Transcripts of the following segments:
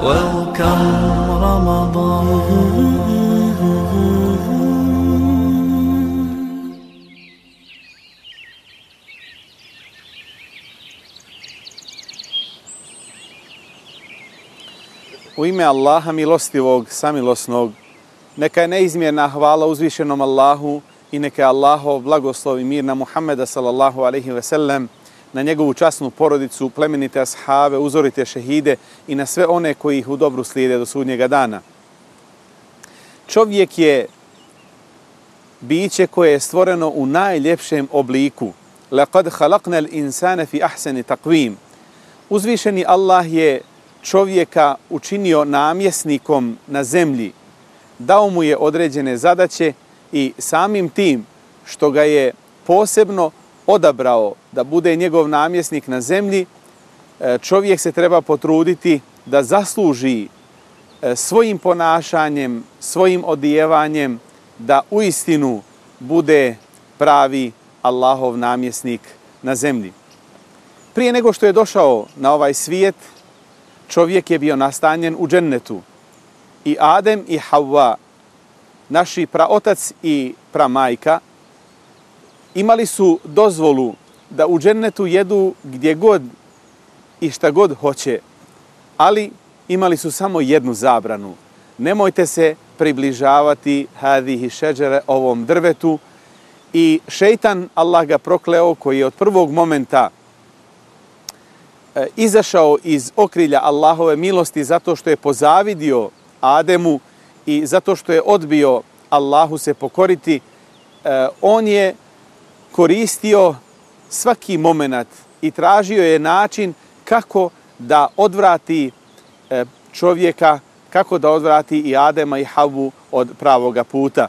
Welcome Ramadan. U ime Allaha milostivog, samilosnog, neka je neizmjerna hvala uzvišenom Allahu i neka je Allahov blagoslov i mir na Muhammeda sallallahu alaihi ve sellem, na njegovu časnu porodicu, plemenite ashave, uzorite šehide i na sve one koji ih u dobru slijede do sudnjega dana. Čovjek je biće koje je stvoreno u najljepšem obliku. Laqad khalaqnal insana fi ahsani taqwim. Uzvišeni Allah je čovjeka učinio namjesnikom na zemlji, dao mu je određene zadaće i samim tim što ga je posebno odabrao da bude njegov namjesnik na zemlji, čovjek se treba potruditi da zasluži svojim ponašanjem, svojim odijevanjem, da uistinu bude pravi Allahov namjesnik na zemlji. Prije nego što je došao na ovaj svijet, čovjek je bio nastanjen u džennetu. I Adem i Havva, naši praotac i pramajka, imali su dozvolu da u džennetu jedu gdje god i šta god hoće, ali imali su samo jednu zabranu. Nemojte se približavati hadihi šeđere, ovom drvetu. I šejtan, Allah ga prokleo, koji je od prvog momenta izašao iz okrilja Allahove milosti zato što je pozavidio Ademu i zato što je odbio Allahu se pokoriti, on je koristio svaki moment i tražio je način kako da odvrati čovjeka, kako da odvrati i Adema i Havvu od pravoga puta.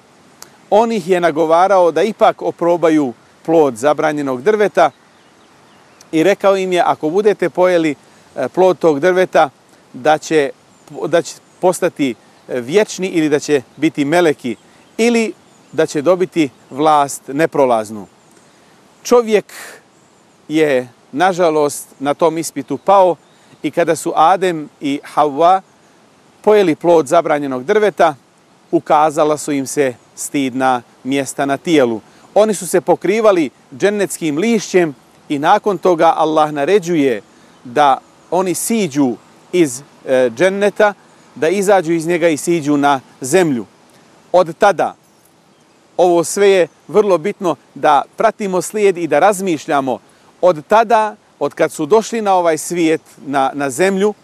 On ih je nagovarao da ipak oprobaju plod zabranjenog drveta i rekao im je, ako budete pojeli plod tog drveta, da će postati vječni ili da će biti meleki ili da će dobiti vlast neprolaznu. Čovjek je, nažalost, na tom ispitu pao i kada su Adem i Havva pojeli plod zabranjenog drveta, ukazala su im se stidna mjesta na tijelu. Oni su se pokrivali džennetskim lišćem i nakon toga Allah naređuje da oni siđu iz dženneta, da izađu iz njega i siđu na zemlju. Od tada, ovo sve je vrlo bitno da pratimo slijed i da razmišljamo. Od tada, od kad su došli na ovaj svijet, na zemlju,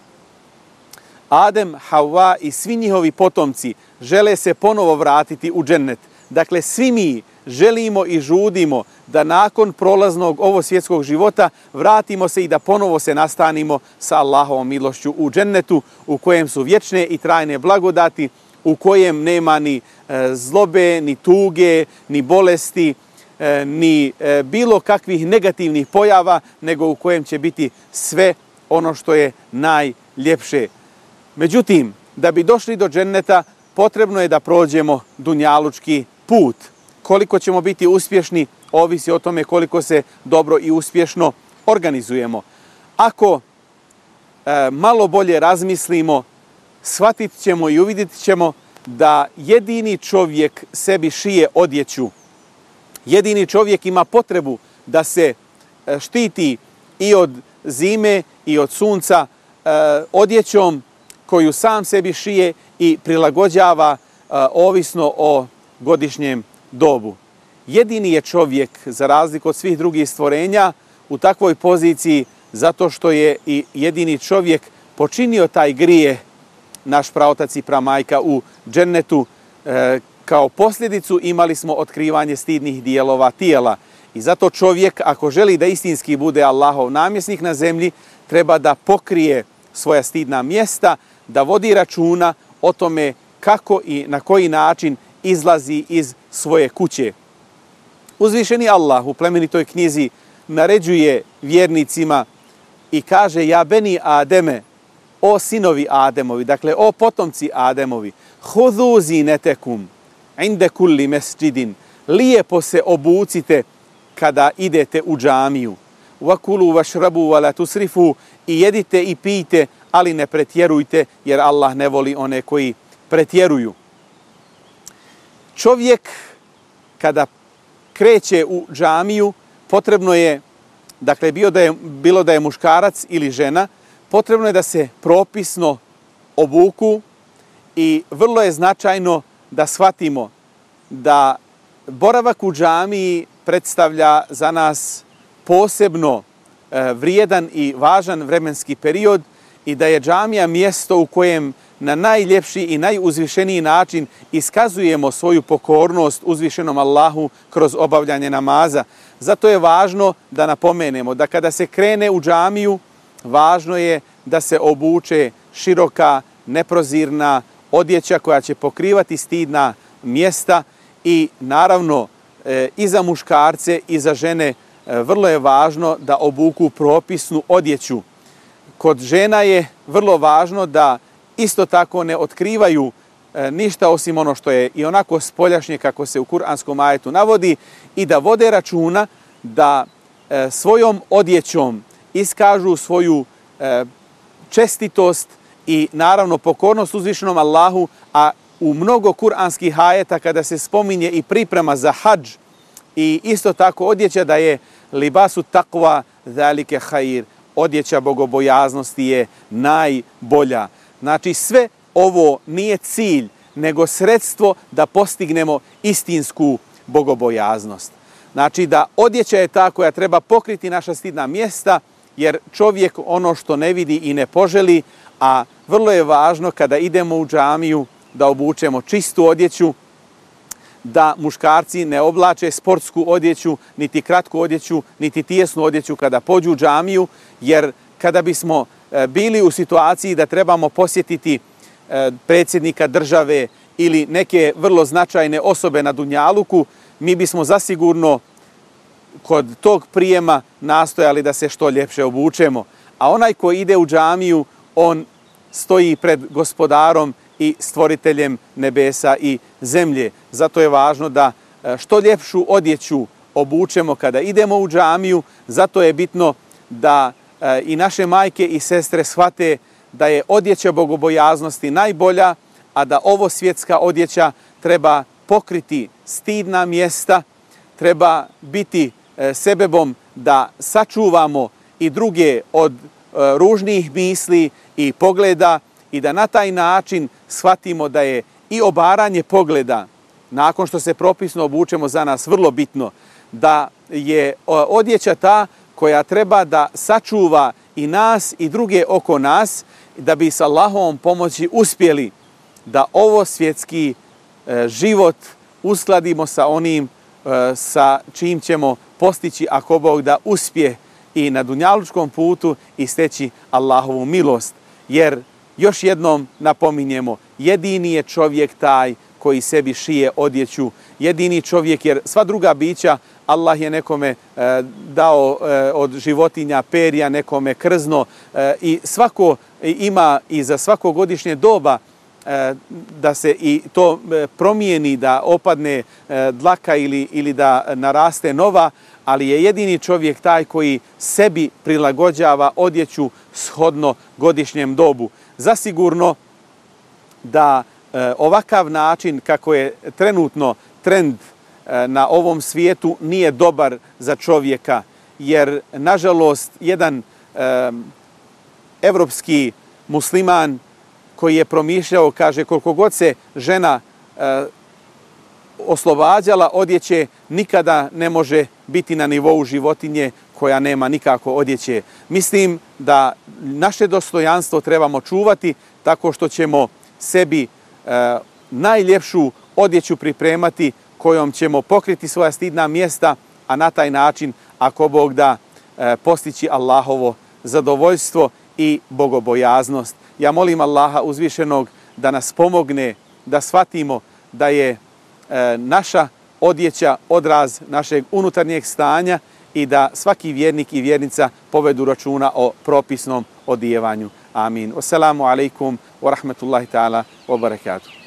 Adem, Havva i svi njihovi potomci žele se ponovo vratiti u džennet. Dakle, svi mi želimo i žudimo da nakon prolaznog ovo svjetskog života vratimo se i da ponovo se nastanimo sa Allahovom milošću u džennetu, u kojem su vječne i trajne blagodati, u kojem nema ni zlobe, ni tuge, ni bolesti, ni bilo kakvih negativnih pojava, nego u kojem će biti sve ono što je najljepše. Međutim, da bi došli do dženneta, potrebno je da prođemo dunjalučki put. Koliko ćemo biti uspješni, ovisi o tome koliko se dobro i uspješno organizujemo. Ako malo bolje razmislimo, shvatit ćemo i uvidjet ćemo da jedini čovjek sebi šije odjeću. Jedini čovjek ima potrebu da se štiti i od zime i od sunca odjećom koju sam sebi šije i prilagođava ovisno o godišnjem dobu. Jedini je čovjek, za razliku od svih drugih stvorenja, u takvoj poziciji zato što je i jedini čovjek počinio taj grije, naš praotac i pramajka u džennetu. Kao posljedicu imali smo otkrivanje stidnih dijelova tijela. I zato čovjek, ako želi da istinski bude Allahov namjesnik na zemlji, treba da pokrije svoja stidna mjesta, da vodi računa o tome kako i na koji način izlazi iz svoje kuće. Uzvišeni Allah u plemenitoj knjizi naređuje vjernicima i kaže: ja beni Ademe, o sinovi Ademovi, dakle o potomci Ademovi, hudu zinetekum inde kulli mesđidin, lijepo se obucite kada idete u džamiju, vakulu vašrabu vala tusrifu, i jedite i pijte, ali ne pretjerujte, jer Allah ne voli one koji pretjeruju. Čovjek kada kreće u džamiju, potrebno je, dakle bilo da je muškarac ili žena, potrebno je da se propisno obuku i vrlo je značajno da shvatimo da boravak u džamiji predstavlja za nas posebno vrijedan i važan vremenski period i da je džamija mjesto u kojem na najljepši i najuzvišeniji način iskazujemo svoju pokornost uzvišenom Allahu kroz obavljanje namaza. Zato je važno da napomenemo da kada se krene u džamiju, važno je da se obuče široka, neprozirna odjeća koja će pokrivati stidna mjesta i naravno i za muškarce i za žene vrlo je važno da obuku propisnu odjeću. Kod žena je vrlo važno da isto tako ne otkrivaju ništa osim ono što je i onako spoljašnje kako se u kuranskom ajetu navodi i da vode računa da svojom odjećom iskažu svoju čestitost i naravno pokornost uzvišenom Allahu, a u mnogo kuranskih ajeta kada se spominje i priprema za hadž i isto tako odjeća da je libasu takva zalike khair, odjeća bogobojaznosti je najbolja. Znači sve ovo nije cilj, nego sredstvo da postignemo istinsku bogobojaznost. Znači da odjeća je ta koja treba pokriti naša stidna mjesta, jer čovjek ono što ne vidi i ne poželi, a vrlo je važno kada idemo u džamiju da obučemo čistu odjeću, da muškarci ne oblače sportsku odjeću, niti kratku odjeću, niti tijesnu odjeću kada pođu u džamiju, jer kada bismo bili u situaciji da trebamo posjetiti predsjednika države ili neke vrlo značajne osobe na Dunjaluku, mi bismo zasigurno kod tog prijema nastojali da se što ljepše obučemo. A onaj ko ide u džamiju, on stoji pred gospodarom i stvoriteljem nebesa i zemlje. Zato je važno da što ljepšu odjeću obučemo kada idemo u džamiju. Zato je bitno da i naše majke i sestre shvate da je odjeća bogobojaznosti najbolja, a da ovo svjetska odjeća treba pokriti stidna mjesta, treba biti sebebom da sačuvamo i druge od ružnih misli i pogleda i da na taj način shvatimo da je i obaranje pogleda, nakon što se propisno obučemo, za nas vrlo bitno, da je odjeća ta koja treba da sačuva i nas i druge oko nas, da bi s Allahovom pomoći uspjeli da ovo svjetski život uskladimo sa onim sa čim ćemo postići, ako Bog da, uspje i na dunjalučkom putu i steći Allahovu milost. Jer još jednom napominjemo, jedini je čovjek taj koji sebi šije odjeću, jedini čovjek, jer sva druga bića Allah je nekome dao od životinja perja, nekome krzno i svako ima i za svako godišnje doba da se i to promijeni, da opadne dlaka ili da naraste nova, ali je jedini čovjek taj koji sebi prilagođava odjeću shodno godišnjem dobu. Zasigurno da ovakav način kako je trenutno trend na ovom svijetu nije dobar za čovjeka, jer nažalost jedan evropski musliman koji je promišljao, kaže, koliko god se žena oslobađala odjeće, nikada ne može biti na nivou životinje koja nema nikako odjeće. Mislim da naše dostojanstvo trebamo čuvati tako što ćemo sebi najljepšu odjeću pripremati kojom ćemo pokriti svoja stidna mjesta, a na taj način, ako Bog da, postići Allahovo zadovoljstvo i bogobojaznost. Ja molim Allaha uzvišenog da nas pomogne da shvatimo da je naša odjeća odraz našeg unutarnjeg stanja i da svaki vjernik i vjernica povedu računa o propisnom odijevanju. Amin. Wassalamu alaikum wa rahmatullahi ta'ala wa barakatuh.